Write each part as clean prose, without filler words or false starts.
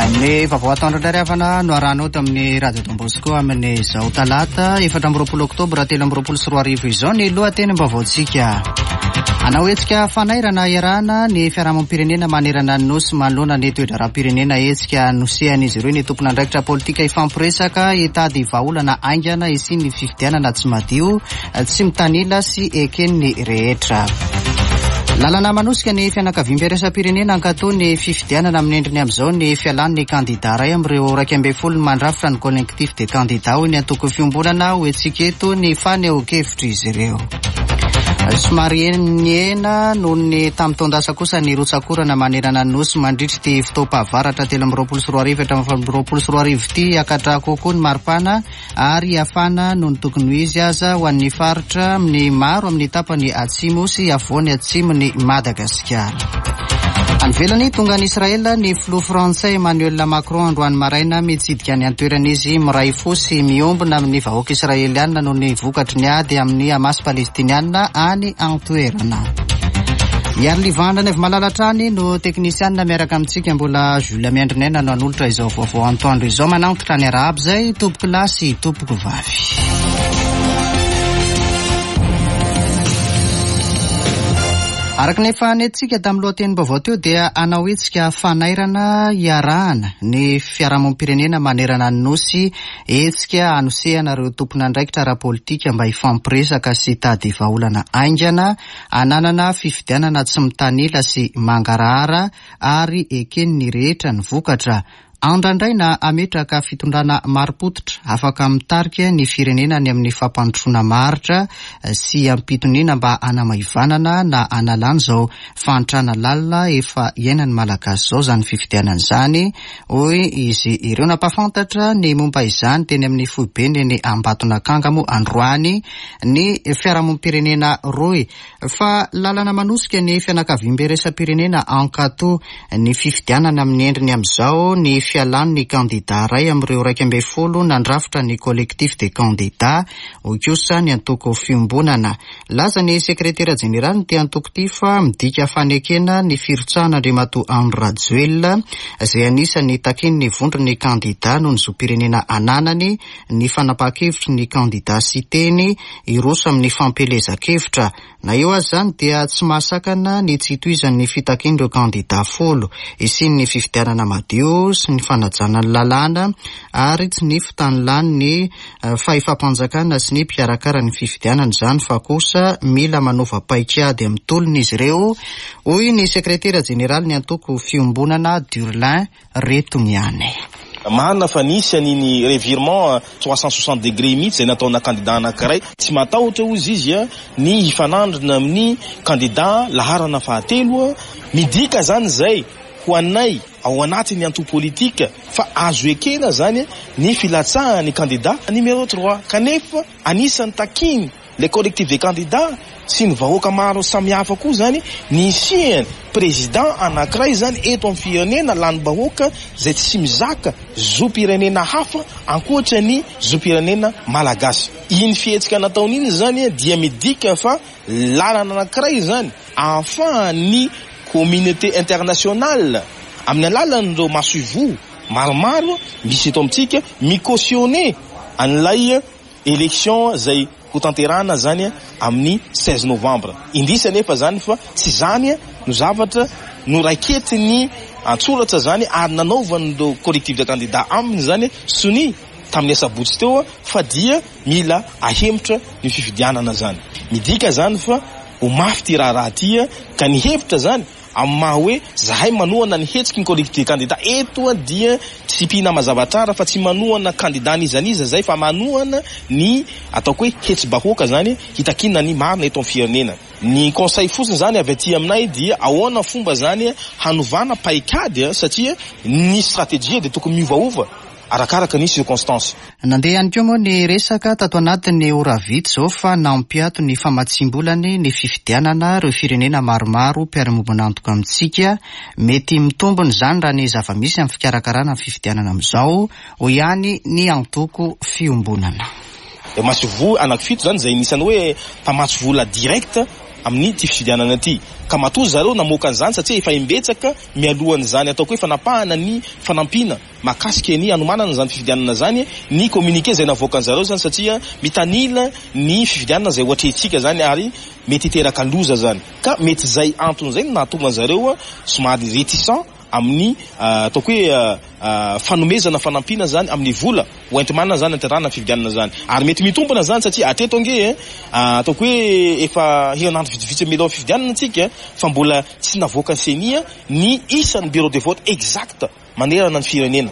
Ny vaovao atoandro indray ry havana no arahanao eto amin'ny Radio Don Bosco amin'izao talata 24 oktobra 2023 izao ny lohatenim-baovaontsika. Hanao hetsika fanairana iarahana ny fiarahamonim-pirenena manerana ny Nosy manoloana ny toe-draharaham-pirenena hetsika nosehan'izy ireo ny tompon'andraikitra politika hifampiresaka hitady vahaolana haingana hisian'ny fifidianana tsy madio tsy mitanila sy eken'ny rehetra. Lalana manosika ny fianakaviambe iraisam-pirenena hankatò ny fifidianana amin'ny endriny amin'izao ny fialan'ny kandidà iray amin'ireo 11 mandrafitra ny Collectif des candidats hoy ny antoko Fiombonana ho hetsika eto ny fanehoan-kevitr'izy ireo. Somary nihena noho ny tamin'ny taon-dasa kosa ny rotsak'orana manerana ny Nosy mandritra ity fotoam-pahavaratra 2023 hatramin'ny 2024 ity. Hiakatra kokoa ny maripana ary hafana noho ny tokony ho izy aza ho an'ny faritra amin'ny maro amin'ny tapany atsimo sy afovoany atsimon'i Madagasikara. Any ivelany, tonga any Israel ny filoha frantsay Emmanuel Macron androany maraina. Mitsidika any an-toerana izy, miray fo sy miombona amin'ny vahoaka israelianina noho ny vokatry ny ady amin'ny Hamas palestinianina any an-toerana. Iarilivan Ranaivomalala hatrany no teknisianina miaraka amintsika. Mbola Jules Miandrinaina no hanolotra izao vaovao antoandro izao. Manantitra ny arahaba izay tompoko lahy sy tompoko vavy. Araka ny efa nentintsika tamin'ny lohatenim-baovao teo dia hanao hetsika fanairana iarahana ny fiarahamonim-pirenena manerana ny Nosy, hetsika hanosehana ireo tompon'andraikitra ara-politika mba hifampiresaka sy hitady vahaolana haingana hananana fifidianana tsy mitanila sy mangarahara ary eken'ny rehetra ny vokatra. Andrandraina hametraka fitondrana marim-pototra afaka mitarika ny firenena any amin'ny fampandrosoana maharitra sy am-pitoniana mba hanamaivanana na hanalana izao fahantrana lalina efa iainan'ny Malagasy izao izany fifidianana izany, hoy izy ireo. Nampahafantatra ny momba izany teny amin'ny foibeny eny Ambatonakanga moa androany ny fiarahamonim-pirenena rohy. Fa lalana manosika ny fianakaviambe iraisam-pirenena hankatò ny fifidianana amin'ny endriny amin'izao ny fialan'ny kandidà iray amin'ireo 11 nandrafitra ny Collectif des candidats, hoy kosa ny antoko Fiombonana. Nilaza ny sekretera jeneralin'ity antoko ity fa midika fanekena ny firotsahan'Andriamatoa Andry Rajoelina, izay anisan'ny takian'ny vondron'ny kandidà noho ny zom-pirenena ananany, ny fanapahan-kevitry ny kandidà Siteny hiroso amin'ny fampielezan-kevitra. Na eo aza izany dia tsy mahasakana ny tsy hitohizan'ny fitakian'ireo kandidà folo hisian'ny fifidianana madio sy ny fanajana ny lalàna ary tsy ny fitanilan'ny fahefam-panjakana sy ny mpikarakara ny fifidianana izany fa kosa mila manova paikady amin'ny tolona izy ireo, hoy ny sekretera jeneralin'ny antoko Fiombonana Durlin Retony ihany. Marina fa nisy an'iny revirement 360 degré mihitsy izay nataona kandida anankiray. Tsy matahotra hozy izy ny hifanandrina amin'ny kandida laharana fahatelo. Midika izany izay ho anay ao anatin'ny antoko politika fa azo ekena izany ny filatsahan'ny kandida numéro trois kanefa anisan'ny takiany Le collectif des candidats sy ny vahoaka maro samihafa koa zany ny hisiany président anakiray zany eto amin'ny firenena lanim-bahoaka zay tsy mizaka zom-pirenena hafa ankoatra ny zom-pirenena malagasy. Iny fihetsika nataony iny zany dia midika fa lalana anakiray zany ahafahan'ny communauté internationale amin'ny alalan'ireo masoivoho maromaro misy eto amintsika mi-cautionner an'ilay Election zay ho tanterahana zany amin'ny 16 novembre. Indrisy anefa zany fa tsy zany no zavatra noraiketiny an-tsoratra zany ary nanaovan'ireo collectif de candidats aminy zany sonia tamin'ny asabotsy teo fa dia mila ahemotra ny fifidianana zany. Midika zany fa ho mafy ty raharaha ty ka ny hevitra zany Amin'ny maha hoe zahay manohana ny hetsiky ny collectif des candidats eto dia tsipihina mazava tsara fa tsy manohana candidat n'iza n'iza zay fa manohana ny ataoko hoe hetsi-bahoaka zany hitakiana ny marina eto amin'ny firenena. Ny conseil fotsiny zany avy aty aminay dia ahoana fomba zany hanovana paikady satria ny stratégie dia tokony miovaova arakaraka ny circonstances. Nandeha ihany koa moa ny resaka tato anatin'ny ora vitsy izao fa nampiato ny famatsiam-bolany ny fifidianana ireo firenena maromaro mpiara-miombon'antoka amintsika. Mety mitombina izany raha ny zava-misy amin'ny fikarakarana ny fifidianana amin'izao, hoy ihany ny antoko Fiombonana. Masoivoho anankifito izany izay anisan'ny hoe mpamatsy vola direct. amin'ity fifidianana ity. Ka matoa zareo namoaka an'izany satria efa imbetsaka mialohan'izany ataoko hoe fanapahana ny fanampiana mahakasika ny hanomanana izany fifidianana izany ny communiqué izay navoakan'zareo izany satria mitanila ny fifidianana izay ho atrehintsika izany ary mety hiteraka loza izany. Ka mety izay antony izay no nahatonga an'zareo somary réticent amin'ny ataoko hoe fanomezana fanampiana izany amin'ny vola ho enti-manana izany hantanterahana ny fifidianana izany. Ary mety mitombina izany satria hatreto ange e, ataoko hoe efa herinandro vitsivitsy mialoha fifidianana isika fa mbola tsy navoakan'ny Ceni ny isan'ny bureau de vote exact manerana ny firenena.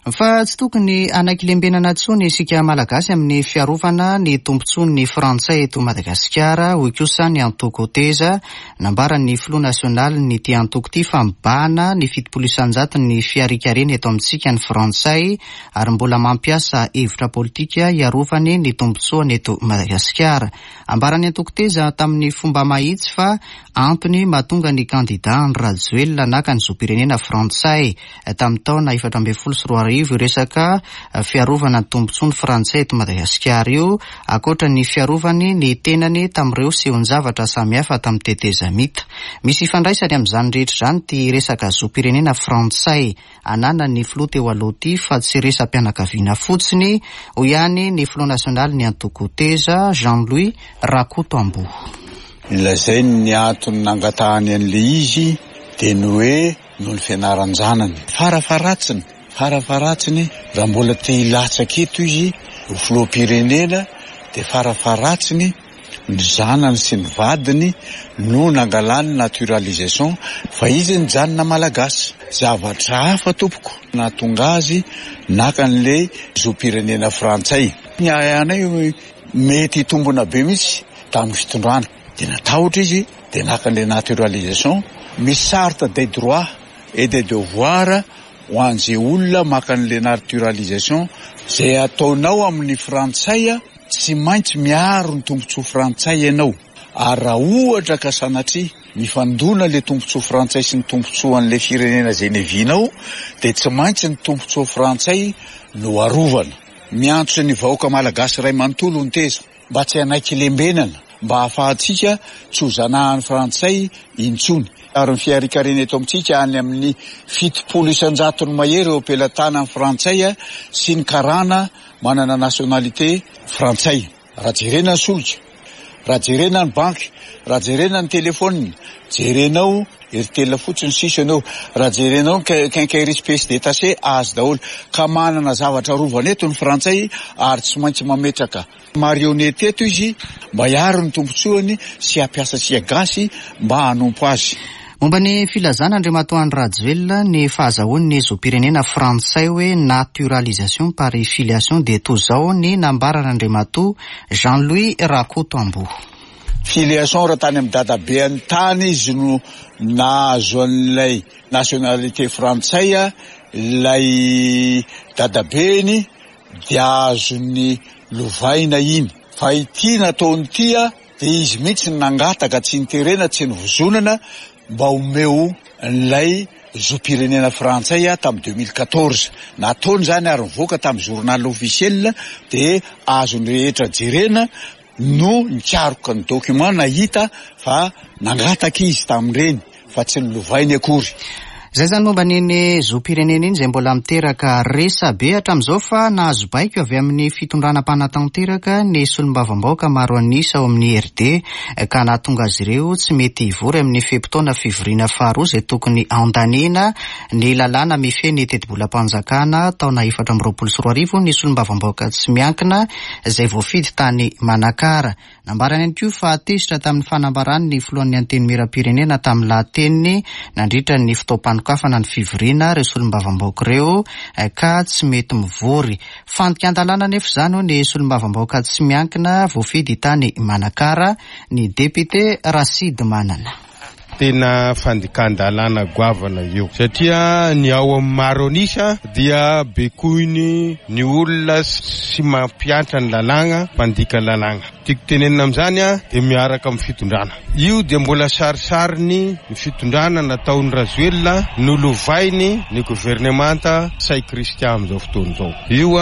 Fa tsy tokony hanaiky lembenana intsony isika Malagasy amin'ny fiarovana ny tombontsoan'ny Frantsay eto Madagasikara, hoy kosa ny antoko Teza. Nambaran'ny filoha nasionalin'ity antoko ity fa mibahana ny 70% ny fiharikarena eto amintsika ny Frantsay ary mbola mampiasa hevitra politika hiarovany ny tombontsoany eto Madagasikara. Ambaran'ny antoko Teza tamin'ny fomba mahitsy fa antony mahatonga ny kandida Andry Rajoelina naka ny zom-pirenena frantsay tamin'ny taona 2014 io resaka fiarovana ny tombontsoan'ny frantsay eto Madagasikara io, ankoatra ny fiarovany ny tenany tamin'ireo sehon-javatra samihafa tamin'ny tetezamita. Misy ifandraisany amin'izany rehetra izany ity resaka zom-pirenena frantsay ananan'ny filoha teo aloha ity fa tsy resa-pianakaviana fotsiny, hoy ihany ny filoha nasionalin'ny antoko Teza, Jean Louis Rakotoamboa. Lazainy ny antony nangatahany an'ilay izy dia ny hoe noho ny fianaran-janany. Farafaharatsiny, farafaharatsiny raha mbola te hilatsaka eto izy ho filoham-pirenena dia farafaharatsiny ny zanany sy ny vadiny no nangalany naturalisation fa izy nijanona malagasy. Zavatra hafa tompoko nahatonga azy naka an'ilay zom-pirenena frantsay. Ny ahiahinay mety hitombina be mihitsy tamin'ny fitondrana dia natahotra izy dia naka an'ilay naturalisation. Misy charte des droits et des devoirs ho an'izay olona maka an'ilay naturalisation. Izay ataonao amin'ny frantsay tsy maintsy miaro ny tombontsoa frantsay ianao ary raha ohatra ka sanatria mifandona ilay tombontsoa frantsay sy ny tombontsoan'ilay firenena izay niavianao dia tsy maintsy ny tombontsoa frantsay no arovana. Miantso ny vahoaka malagasy iray manontolo ny Teza mba tsy hanaiky lembenana mba hahafahantsika tsy ho zanahan'ny frantsay intsony. Ary ny fiharikarena eto amintsika any amin'ny 70% mahery eo am-pelatanan'ny frantsay sy ny karana manana nationalité frantsay. Raha jerena ny solika, raha jerena ny banky, raha jerena ny telephone, jerenao Airtel fotsiny sisa ianao, raha jerenao ny quincaillerie pièces détachées azo daholo. Ka manana zavatra arovana eto ny frantsay ary tsy maintsy mametraka marionnette eto izy mba hiaro ny tombotsoany sy hampiasa antsika gasy mba hanompo azy. Momba ny filazana Andriamatoa Andry Rajoelina ny fahazahoany ny zom-pirenena frantsay hoe naturalisation par filiation dia toa izao ny nambaran'Andriamatoa Jean Louis Rakotoamboa. Filiation raha tany amin'ny dadabeany tany izy no nahazo an'ilay nationalité frantsay, ilay dadabeny dia azony lovaina iny. Fa ity nataony ity dia izy mihitsy no nangataka, tsy niterena, tsy nivozonana mba omeo an'ilay zom-pirenena frantsay tamin'ny 2014. Nataony izany ary nivoaka tamin'ny journal officiel dia azon'ny rehetra jerena no nikaroka ny document nahita fa nangataka izy tamin'ireny fa tsy nolovainy akory. Izay izany momba an'iny zom-pirenena iny izay mbola miteraka resabe hatramin'izao fa nahazo baiko avy amin'ny fitondrana mpanatanteraka ny solombavambahoaka maro an'isa ao amin'ny IRD ka nahatonga azy ireo tsy mety hivory amin'ny fe-potoana fivoriana faharoa izay tokony handaniana ny lalàna mifehy ny tetibolam-panjakana taona 2024 ny solombavambahoaka tsy miankina izay voafidy tany Manakara. Nambarany ihany koa fa tezitra tamin'ny fanambarany ny filohan'ny Antenimierampirenena tamin'ny lahateniny nandritra ny fotoam-panokafana ny fivoriana ireo solombavambahoaka ireo ka tsy mety mivory. Fandikan-dalàna anefa izany hoy ny solombavambahoaka tsy miankina voafidy tany Manakara, ny depiote Rasidimanana. Tena fandikan-dalàna goavana io satria ny ao amin'ny maro an'isa dia bekoiny ny olona sy mampiantra ny lalàna, mpandika lalàna. Tiako tenenina amin'izany dia miaraka amin'ny fitondrana. Io dia mbola sarisariny ny fitondrana nataon'i Rajoelina nolovainy ny governemanta Ntsay Christian amin'izao fotoana izao. Io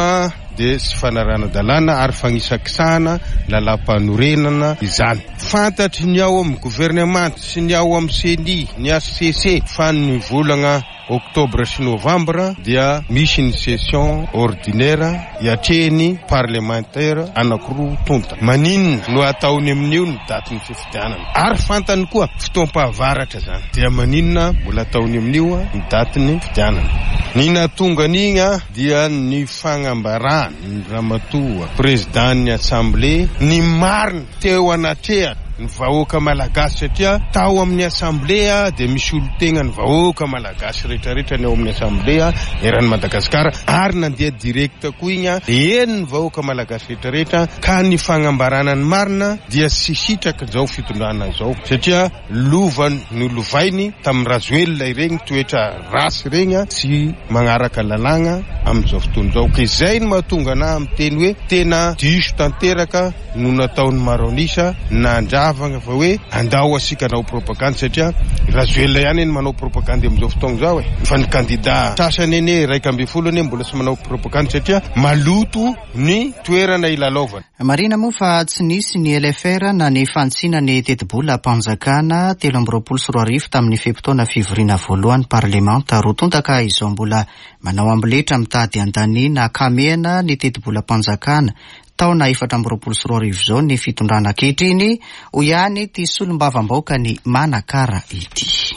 dia tsy fanarahana-dalàna ary fagnisakisahana lalàmpanorenana izany. Fantatry ny ao amin'ny governemanta sy ny ao amin'ny ceni, ny HCC fa ny volagna Oktobra sy Novambra dia misy ny session ordinaire hiatrehin'ny parlemantera anankiroa tonta. Maninona no ataony amin'io ny datin'ny fifidianana? Ary fantany koa fotoam-pahavaratra izany. Dia maninona mbola ataony amin'io ny datin'ny fifidianana? Ny nahatonga an'igny dia ny fagnambaran'ny ramatoa prezidan'ny assemblée ny marina teo anatrehany ny vahoaka malagasy satria tao amin'ny assemblée dia misy olon-tegna ny vahoaka malagasy rehetrarehetra ny ao amin'ny assemblée eran'i Madagasikara ary nandeha direct koa igny dia eny ny vahoaka malagasy rehetrarehetra ka ny fagnambarana ny marina dia tsy sitrak'izao fitondrana izao satria Lova nolovainy tamin'i Rajoelina ireny toetra ratsy ireny tsy magnaraka lalàgna amin'izao fotoana izao. Ka izay no mahatonga anah miteny hoe tena diso tanteraka no nataon'i maro an'isa nandravagna fa hoe andao asika hanao propagandy satria Rajoelina ihany anie manao propagandy amin'izao fotoagna izao e! Fa ny kandida sasany anie 11 anie mbola tsy manao propagandy satria maloto ny toerana ilalaovana. Marihina moa fa tsy nisy ny LFR na ny fanitsiana ny tetibolam-panjakana 2023 tamin'ny fe-potoana fivoriana voalohany parlemanta roa tonta ka izao mbola manao amboletra mitady handaniana ankamehana ny tetibolam-panjakana taona 2024 izao ny fitondrana ankehitriny, hoy ihany ity solombavambahoakan'i Manakara ity.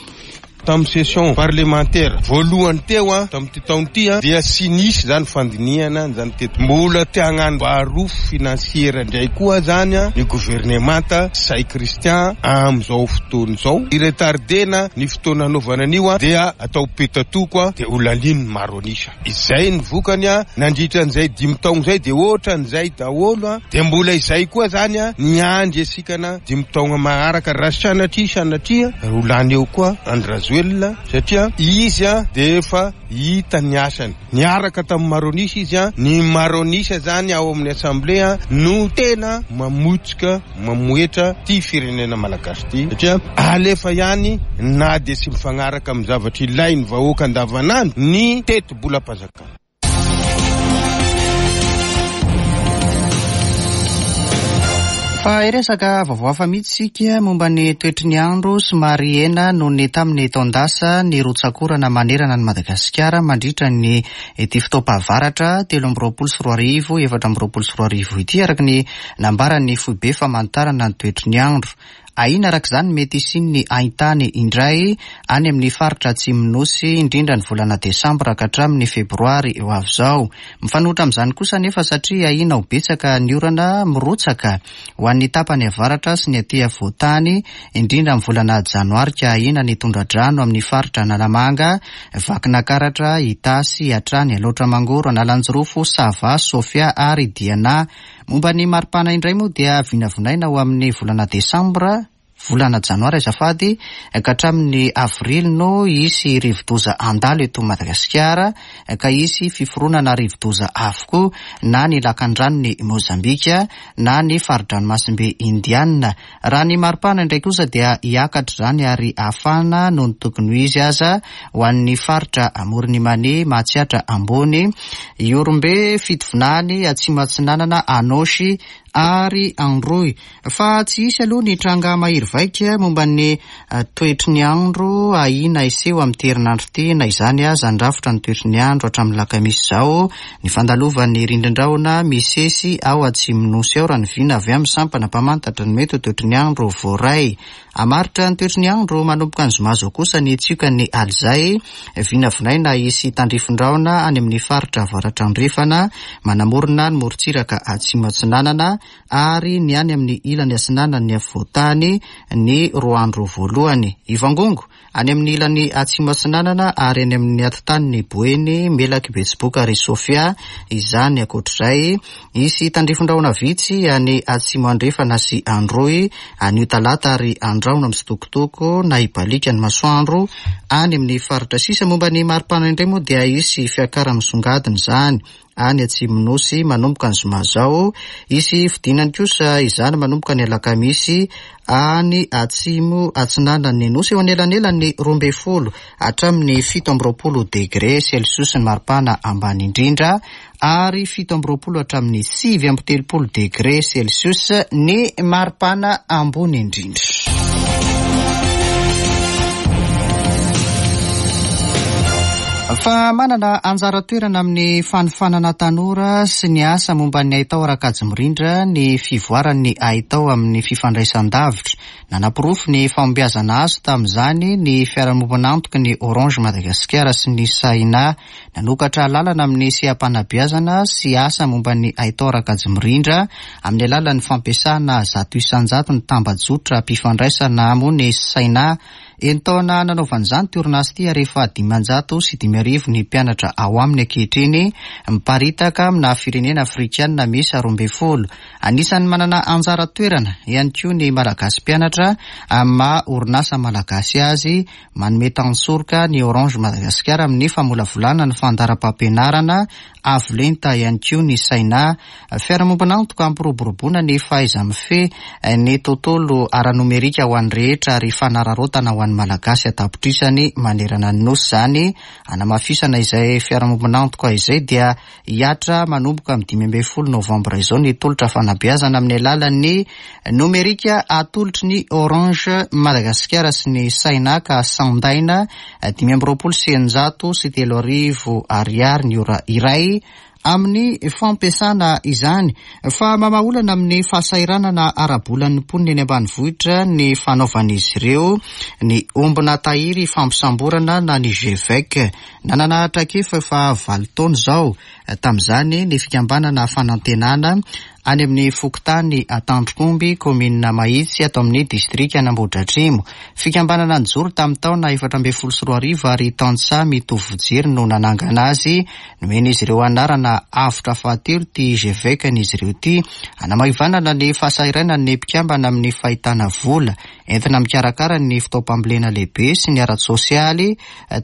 Tamin'ny session parlementaire voalohany teo tamin'ity taona ity dia tsy nisy izany fandinihana an'izany teto. Mbola te hagnano barofo financière indray koa zany ny governemanta Ntsay Christian amin'izao fotoana izao. Hi-retarder-na ny fotoana hanaovana an'io dia atao petatoko dia ho lanian'ny maro an'isa. Izay ny vokany nandritra an'izay dimy taogno izay dia ohatran'izay daholo dia mbola izay koa zany ny andry asikana dimy taogno maharaka raha sanatria sanatria ho lany eo koa Andry Rajoelina satria izy dia efa hita ny asany niaraka tamin'ny maro an'isa izy ny maro an'isa zany ao amin'ny assemblée no tena mamotsika mamohetra ity firenena malagasy ity satria alefa ihany na dia tsy mifagnaraka amin'ny zavatra ilain'ny vahoaka andavanandro ny tetibolam-panjakana. Fa hiresaka vaovao hafa mihitsy isika momba ny toetry ny andro somary hena noho ny tamin'ny taon-dasa ny rotsak'orana manerana an'i Madagasikara mandritra ny ity fotoam-pahavaratra 2023 2024 ity araka ny Nambaran'ny foibe famantarana ny toetry ny andro. Ahiana araka izany ny mety hisian'ny haintany indray any amin'ny faritra atsimon'ny Nosy, indrindra ny volana desambra ka hatramin'ny febroary ho avy izao. Mifanohitra amin'izany kosa anefa satria ahiana ho betsaka ny orana mirotsaka ho an'ny tapany avaratra sy ny aty afovoan-tany, indrindra amin'ny volana janoary ka ahiana ny tondra-drano amin'ny faritra Analamanga, Vakinakaratra, Itasy, hatrany Alaotra Mangoro, Analanjirofo, Sava, Sofia ary Diana. Momba ny maripana indray moa dia vinavinaina ho amin'ny volana desambra, volana janoary azafady, ka hatramin'ny avrily no hisy rivodoza handalo eto Madagasikara ka hisy fiforonana rivodoza avokoa na ny lakandranon'i Mozambika na ny fari-dranomasimbe Indiana. Raha ny maripana indray kosa dia hiakatra izany ary hafana noho ny tokony ho izy aza ho an'ny faritra Amoron'i Mania, Mahatsiatra Ambony, Ihorombe, Fitovinany, Atsimo Atsinanana, Anôsy ary Androy. Fa tsy hisy aloha ny tranga mahery vaika momba ny toetry ny andro ahiana hiseho amin'ity herinandro ity. Na izany aza, handrafitra ny toetry ny andro hatramin'ny alakamisy izao Ny fandalovan'ny rindrin-drahona misesy ao atsimon'ny Nosy ao raha ny vina avy amin'ny sampana mpamantatra ny mety ho toetry ny andro voaray. Hamaritra ny toetry ny andro manomboka ny zoma izao kosa ny tsiokan'ny alizay. Vinavinaina hisy tandrifin-drahona any amin'ny faritra avaratra andrefana, manamorona ny morontsiraka atsimo atsinanana ary ny any amin'ny ilany atsinanan'ny afovoan-tany ny roa andro voalohany. Hivangongo Any amin'ny ilany atsimo atsinanana ary any amin'ny atitaniny Boeny, Melaky, Betsiboka ary Sofia izany. Ankoatr'izay, hisy tandrifin-drahona vitsy any atsimo andrefana sy Androy anio talata ary andrahona mitsitokotoko na hibaliaka ny masoandro any amin'ny faritra sisa. Momba ny maripana indray moa dia hisy fiakaran'ny misongadina izany. any atsimon'ny Nosy manomboka ny zoma izao. Hisy fidinany kosa izany manomboka ny alakamisy any atsimo atsinanan'ny Nosy eo anelanelan'ny 12 hatramin'ny 27 degre celsius ny maripana ambany indrindra ary 27 hatramin'ny 39 degre celsius ny maripana ambony indrindra. Fa manana anjara toerana amin'ny fanofanana tanora sy ny asa momba ny haitao ara-kajy mirindra ny fivoaran'ny haitao amin'ny fifandraisan-davitra. Nanaporofo ny fahombiazana azo tamin'izany ny fiarahamombon'antoky ny Orange Madagasikara sy ny Saina. Nanokatra lalana amin'ny seha-panabeazana sy asa momba ny haitao ara-kajy mirindra amin'ny alalan'ny fampiasana 100% ny tambajotram-pifandraisana moa ny Saina. Enin-taona nanaovana izany ity orinasa ity ary efa 505 ny mpianatra ao aminy ankehitriny, miparitaka amina firenena afrikanina miisa 12. Anisan'ny manana anjara toerana ihany koa ny Malagasy mpianatra amin'ny maha orinasa malagasy azy, manome tantsoroka ny Orange Madagascar amin'ny famolavolana ny fandaharam-pampianarana avo lenta ihany koa ny Saina. Fiarahamombon'antoka hampiroboroboana ny fahaiza-mifehy ny tontolo ara-nomerika ho an'ny rehetra ary fanararaotana ho an'ny Malagasy an-tapitrisany manerana ny Nosy izany. Hanamafisana izay fiarahamombon'antoka izay dia hihatra manomboka amin'ny 15 novambra izao ny tolotra fanabeazana amin'ny alalan'ny nomerika atolotry ny Orange Madagasikara sy ny Saina ka sandaina 2625 ariary ny ora iray amin'ny fampiasana izany. Fa mamaha olana amin'ny fahasahiranana ara-bolan'ny mponina eny ambanivohitra ny fanaovan'izy ireo ny ombina tahiry fampisamborana na ny GVEC. Nanana traikefa efa valo taona izao tamin'izany ny fikambanana Fanantenana any amin'ny fokontany Antandrokomby, kaominina Mahitsy, ato amin'ny distrikan'Ambohidratrimo. Fikambanana nijoro tamin'ny taona 2014 ary tantsaha mitovy fijery no nanangana azy. Nomen'izy ireo anarana Avotra fahatelo ity GVEC-n'izy ireo ity. Hanamaivanana ny fahasahiranan'ny mpikambana amin'ny fahitana vola entina mikarakara ny fotoam-pambolena lehibe sy ny ara-tsosialy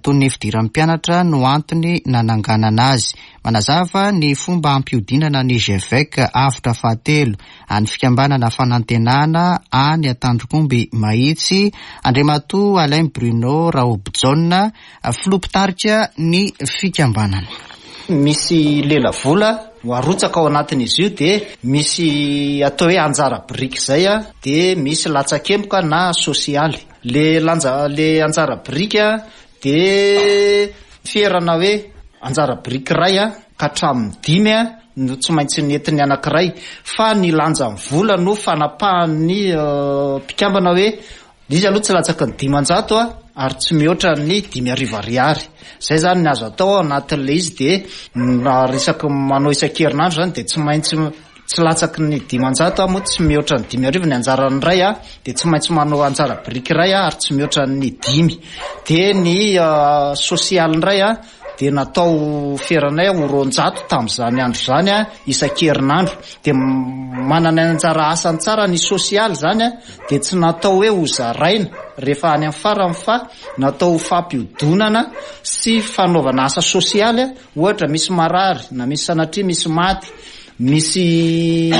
toy ny fidiran'ny mpianatra no antony nananganana azy. Manazava ny fomba hampihodinana ny GVEC Avotra fahatelo an'ny fikambanana Fanantenana any Antandrokomby Mahitsy, Andriamatoa Alain Bruno Rahobijaona, filoha mpitarika ny fikambanana. Misy lelavola ho arotsaka ao anatin'izy io dia misy atao hoe anjara biriky izay dia misy latsakemboka na sosialy. Le lanja le anjara biriky dia ferana hoe anjara biriky iray ka hatramin'ny dimy no tsy maintsy nentin'ny anankiray fa ny lanjan'ny vola no fanapahan'ny mpikambana hoe izy aloha tsy latsaky ny 500 ary tsy mihoatra ny 5000 ariary. Izay izany ny azo atao ao anatin'ilay izy dia raha resaky manao isan-kerinandro izany dia tsy maintsy tsy latsaky ny 500 aho moa tsy mihoatra ny 5000 ny anjaran'ny iray aho dia tsy maintsy manao anjara biriky iray aho ary tsy mihoatra ny dimy. Dia ny sosialy indray aho dia natao feranay ho 200 tamin'izany andro izany isan-kerinandro. Dia manana ny anjara asany tsara ny sosialy izany dia tsy natao hoe ho zaraina rehefa any amin'ny farany fa natao ho fampiodonana sy fanaovana asa sosialy, ohatra misy marary na misy sanatria misy maty, misy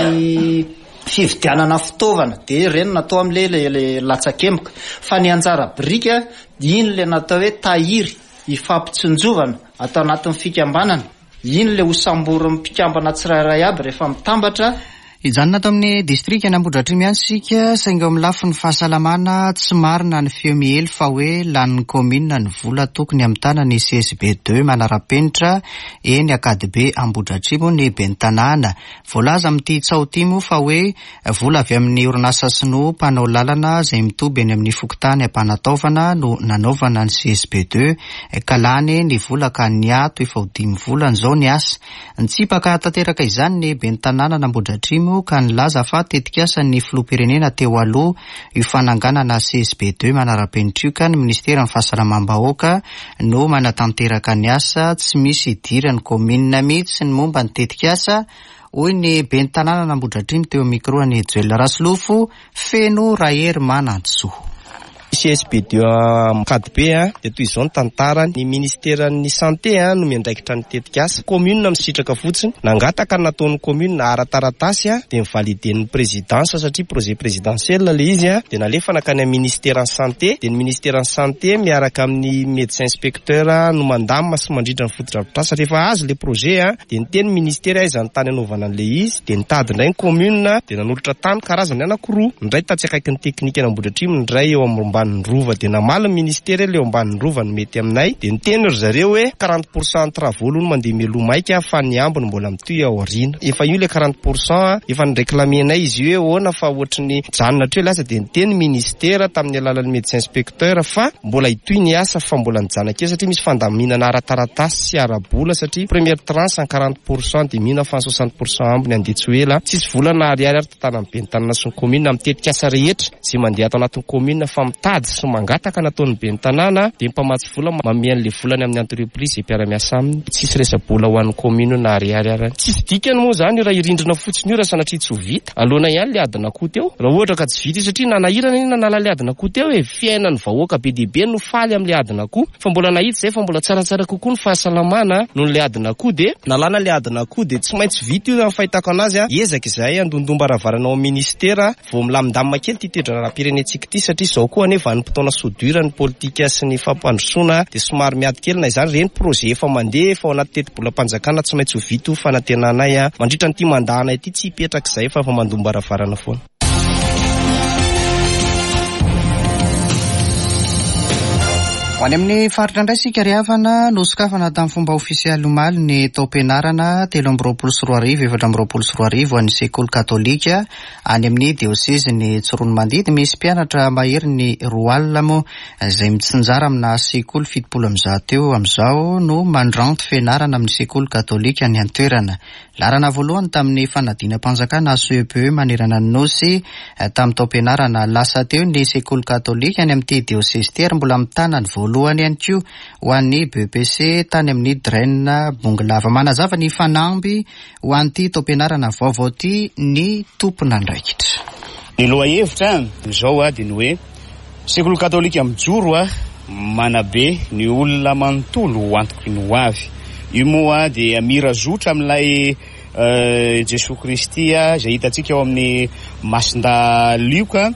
fividianana fitaovana dia ireny natao amin'ilay ilay latsakemboka. Fa ny anjara biriky iny ilay natao hoe tahiry ifampitsinjovana atao anatin'ny fikambanana, iny ilay hosamborin'ny mpikambana tsirairay aby rehefa mitambatra. Hijanona ato amin'ny distrikan'Ambohidratrimo ihany isika, saingy eo amin'ny lafiny fahasalamana, tsy marina ny feo miely fa hoe lanin'ny kaominina ny vola tokony hamitana ny CSB deux manara-penitra eny Ankadibe Ambohidratrimo ny ben'ny tanàna. Voalaza amin'ity tsaho ity moa fa hoe vola avy amin'ny orinasa sinoa mpanao lalana izay mitoby eny amin'ny fokontany Ampanataovana no nanaovana ny CSB deux ka lany ny vola ka niato efa ho dimy volana izao ny asa. Nitsipaka tanteraka izany ny ben'ny tanànan'Ambohidratrimo ka nilaza fa tetikasan'ny filoham-pirenena teo aloha io fananganana CSB deux manara-penitra io ka ny minisiteran'ny fahasalamam-bahoaka no manatanteraka ny asa, tsy misy idiran'ny kaominina mihitsy ny momba ny tetikasa, hoy ny ben'ny tanànan'Ambohidratrimo teo amin'ny micro an'i Joel Rasolofo Feno Raherimanantsoa. CSB deux Ankadibe dia toy izao ny tantarany, ny ministeran'ny santé no miandraikitra ny tetikasa, commune misitraka fotsiny, nangataka ny nataon'ny commune ara-taratasy dia ni-valider-n'ny présidence satria projet présidentiel ilay izy dia nalefa nankany amin'ny ministeran'ny santé dia ny ministeran'ny santé miaraka amin'ny médecin inspecteur no mandamina sy mandrindra ny fotodrafitrasa, rehefa azo ilay projet dia niteny ny ministera aiza ny tany anaovana an'ilay izy dia nitady indray ny commune dia nanolotra tany karazany anankiroa, ny iray tatsy akaikin'ny teknikan'Ambohidratrimo ny iray eo ambanin'ny rova dia namaly ny ministera hoe ilay eo ambanin'ny rova no mety aminay dia niteny ry zareo hoe quarante pour cent ny travaux aloha no mandeha mialoha maika fa ny ambiny mbola mitohy ao aoriana, efa io ilay quarante pour cent efa ni-reclamer-nay izy io hoe ahoana fa ohatry ny mijanona hatreo ilay asa dia niteny ny ministera tamin'ny alalan'ny médecin inspecteur fa Mbola hitohy ny asa fa mbola nijanona kely satria misy fandaminana ara-taratasy sy ara-bola satria première tranche en 40 pour cent dia mino aho fa ny 60 pour cent ambiny handeha tsy ho ela. Tsisy vola na ariary ary tantanan'ny ben'ny tanàna sy ny commune amin'ny tetikasa rehetra izay mandeha ato anatin'ny commune fa mitady sy mangataka nataon'ny ben'ny tanàna dia ny mpamatsy vola manome an'ilay volany amin'ny entreprise izay mpiara-miasa aminy. Tsisy resa-bola ho an'ny commune na ariary ary. Tsisy dikany moa izany io raha hirindrina fotsiny io raha sanatria tsy ho vita. Aloana ihany ilay adin'akoho teo raha ohatra ka tsy vita io satria nanahirana anie nanala ilay adin'akoho teo e! Fiainan'ny vahoaka be dia be no faly amin'ilay adin'akoho fa mbola nahita izay fa mbola tsaratsara kokoa ny fahasalamana noho ilay adin'akoho dia nalana ilay adin'akoho dia tsy maintsy vita io raha ny fahitako anazy a! Hiezaka izahay handondom-baravarana ao amin'ny ministera vao milamindamina kely ity toe-draharaham-pirenentsika ity satria izao koa anie vanim-potoana soudure ny politika sy ny fampandrosoana dia somary miady kely na izany ireny projet efa mandeha efa ao anaty tetibolam-panjakana tsy maintsy ho vita io fanantenanay a! Mandritra an'ity mandat-nay ity tsy hipetraka izahay fa efa mandom-baravarana foana. Ho any amin'ny faritra indray isika ry havana, nosokafana tamin'ny fomba ofisialy omaly ny taom-pianarana 2023 2024 ho an'ny sekoly katolika any amin'ny diosezin'i Tsiroanomandidy. Misy mpianatra maherin'ny 20 moa izay mitsinjara amina sekoly 170 eo amin'izao no mandranto fianarana amin'ny sekoly katolika any an-toerana. Laharana voalohany tamin'ny fanadinam-panjakana CEPE manerana ny Nosy tamin'ny taom-pianarana lasa teo ny sekoly katolika any amin'ity diosezy ity ary mbola mitana ny voalohany ihany koa ho an'ny BEPC tany amin'ny DREN Bongolava. Manazava ny fanamby ho an'ity taom-pianarana vaovao ity ny tompon'andraikitra. Ny lohahevitra amin'izao dia ny hoe Sekoly katolika mijoro manabe ny olona manontolo ho antoky ny ho avy. Io moa dia mira zotra amin'ilay Jesoa Kristy izay hitantsika ao amin'ny Masindahy Lioka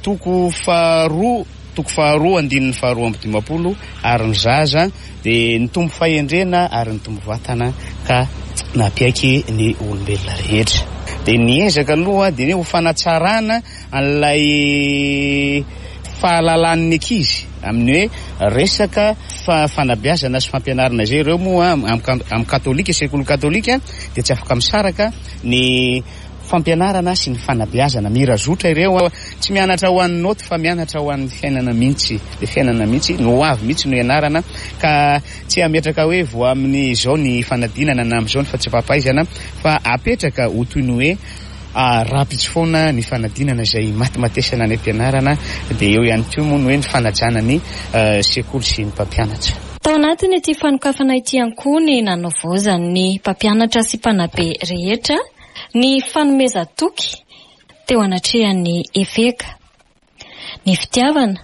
toko faharoa toko faharoa andininy faharoa 52 ary ny zaza dia nitombo fahendrena ary nitombo vatana ka nampiaiky ny olombelona rehetra. Dia ny ezaka aloha dia ny ho fanatsarana an'ilay fahalalan'ny ankizy amin'ny hoe resaka fanabeazana sy fampianarana izay. Ireo moa amin'ny katolika, sekoly katolika dia tsy afaka misaraka ny fampianarana sy ny fanabeazana. Mira zotra ireo, tsy mianatra ho an'ny naoty fa mianatra ho an'ny fiainana mihitsy. Ilay fiainana mihitsy, ny ho avy mihitsy no ianarana ka tsy hametraka hoe vao amin'izao ny fanadinana na amin'izao ny fahatsiampahaizana fa apetraka ho toy ny hoe Rahampitso foana ny fanadinana izay imatimatesana any am-pianarana dia eo ihany koa moa ny hoe ny fanajana ny sekoly sy ny mpampianatra. Tao anatin'ity fanokafana ity ihany koa ny nanavaozan'ny mpampianatra sy mpanabe rehetra ny fanomezan-toky teo anatrehan'ny eveka. Ny fitiavana,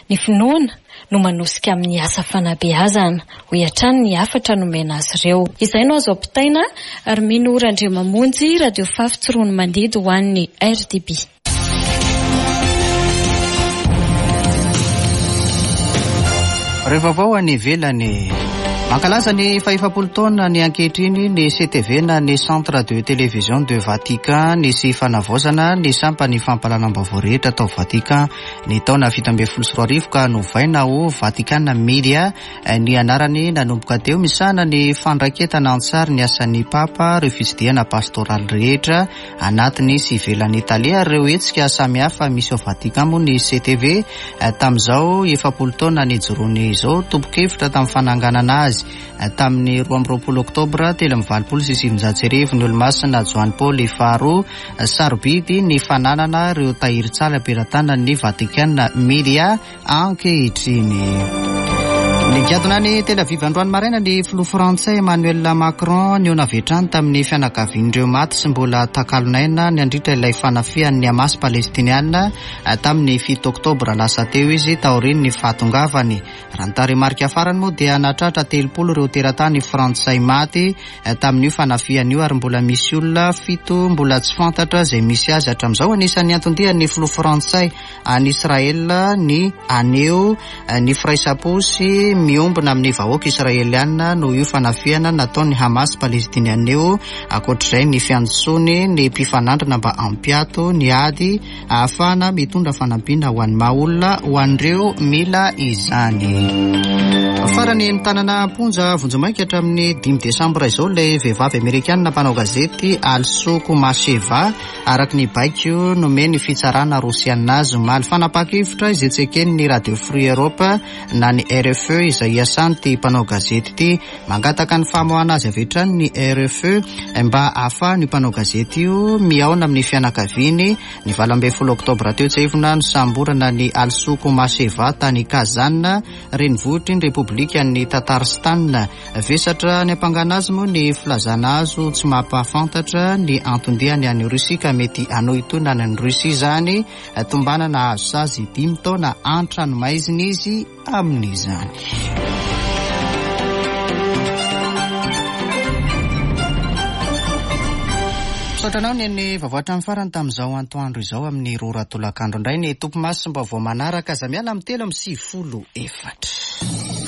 ny finoana no manosika amin'ny asa fanabeazana, hoy hatrany ny hafatra nomena azy ireo. Izay no azo ampitaina, ary Mino Randriamamonjy, Radio Fafy Tsiroanomandidy ho an'ny RDB. Ireo vaovao any ivelany. Mankalaza ny fahefapolo taona ny ankehitriny ny CTV na ny Centre de Télévision de Vatican. Nisy fanavaozana ny sampan'ny fampahalalam-baovao rehetra tao Vatican ny taona 2017 ka novaina ho Vatican Media ny anarany nanomboka teo. Misahana ny fandraketana an-tsary ny asan'ny Papa, ireo fitsidihana pastoraly rehetra anatiny sy ivelan'i Italia ary ireo hetsika samihafa misy ao Vatican moa ny CTV tamin'izao 40 taona nijoroany izao. Tompon-kevitra tamin'ny fananganana azy tamin'ny 22 oktobra 1983 ny Olomasina Joany Paoly faharoa. Sarobidy ny fananana ireo tahirin-tsary am-pelatanan'ny Vatican Media ankehitriny. Nigadona any Tel Aviv androany maraina ny filoha frantsay Emmanuel Macron nihaona avy hatrany tamin'ny fianakavian'ireo maty sy mbola takalon'aina nandritra ilay fanafihan'ny Hamas palestiniana tamin'ny fito oktobra lasa teo izy taorian'ny fahatongavany. Raha ny tarehimarika farany moa dia nahatratra 30 ireo teratany frantsay maty tamin'io fanafihana io ary mbola misy olona fito mbola tsy fantatra izay misy azy hatramin'izao. Anisan'ny anton-dian'ny filoha frantsay any Israel ny haneho ny firaisam-po sy miombona amin'ny vahoaka israeliana noho io fanafihana nataon'ny Hamas palestiniana io. Ankoatr'izay ny fiantsoany ny mpifanandrina mba hampiato ny ady ahafahana mitondra fanampiana ho an'ny maha olona ho an'ireo mila izany. Farany notanana am-ponja vonjimaika hatramin'ny dimy desambra izao ilay vehivavy amerikanina mpanao gazety Alsu Kumasheva araka ny baiko nomen'ny fitsarana rosiana azy omaly. Fanapahan-kevitra izay tsy eken'ny Radio Free Europe na ny RFE izay iasan'ity mpanao gazety ity. Mangataka ny famoahana azy avy hatrany ny RFE mba hahafahan'io mpanao gazety io mihaona amin'ny fianakaviany. Ny 18 oktobra teo tsiahivina nosamborana ny Alsu Kumasheva tany Kazan, renivohitry ny Repoblikan'i Tatarstan. Vesatra niampangana azy moa ny filazana azy ho tsy mampahafantatra ny anton-diany any Rosia ka mety hanohintohina any Rosia izany. Tombanana hahazo sazy dimy taona an-tranomaizina izy amin'izany. Misaotra anao ny vaovao hatramin'ny farany tamin'izao antoandro izao amin'ny roa ora tolakandro indray ny topimasom-baovao manaraka aza miala amin'ny 93 4.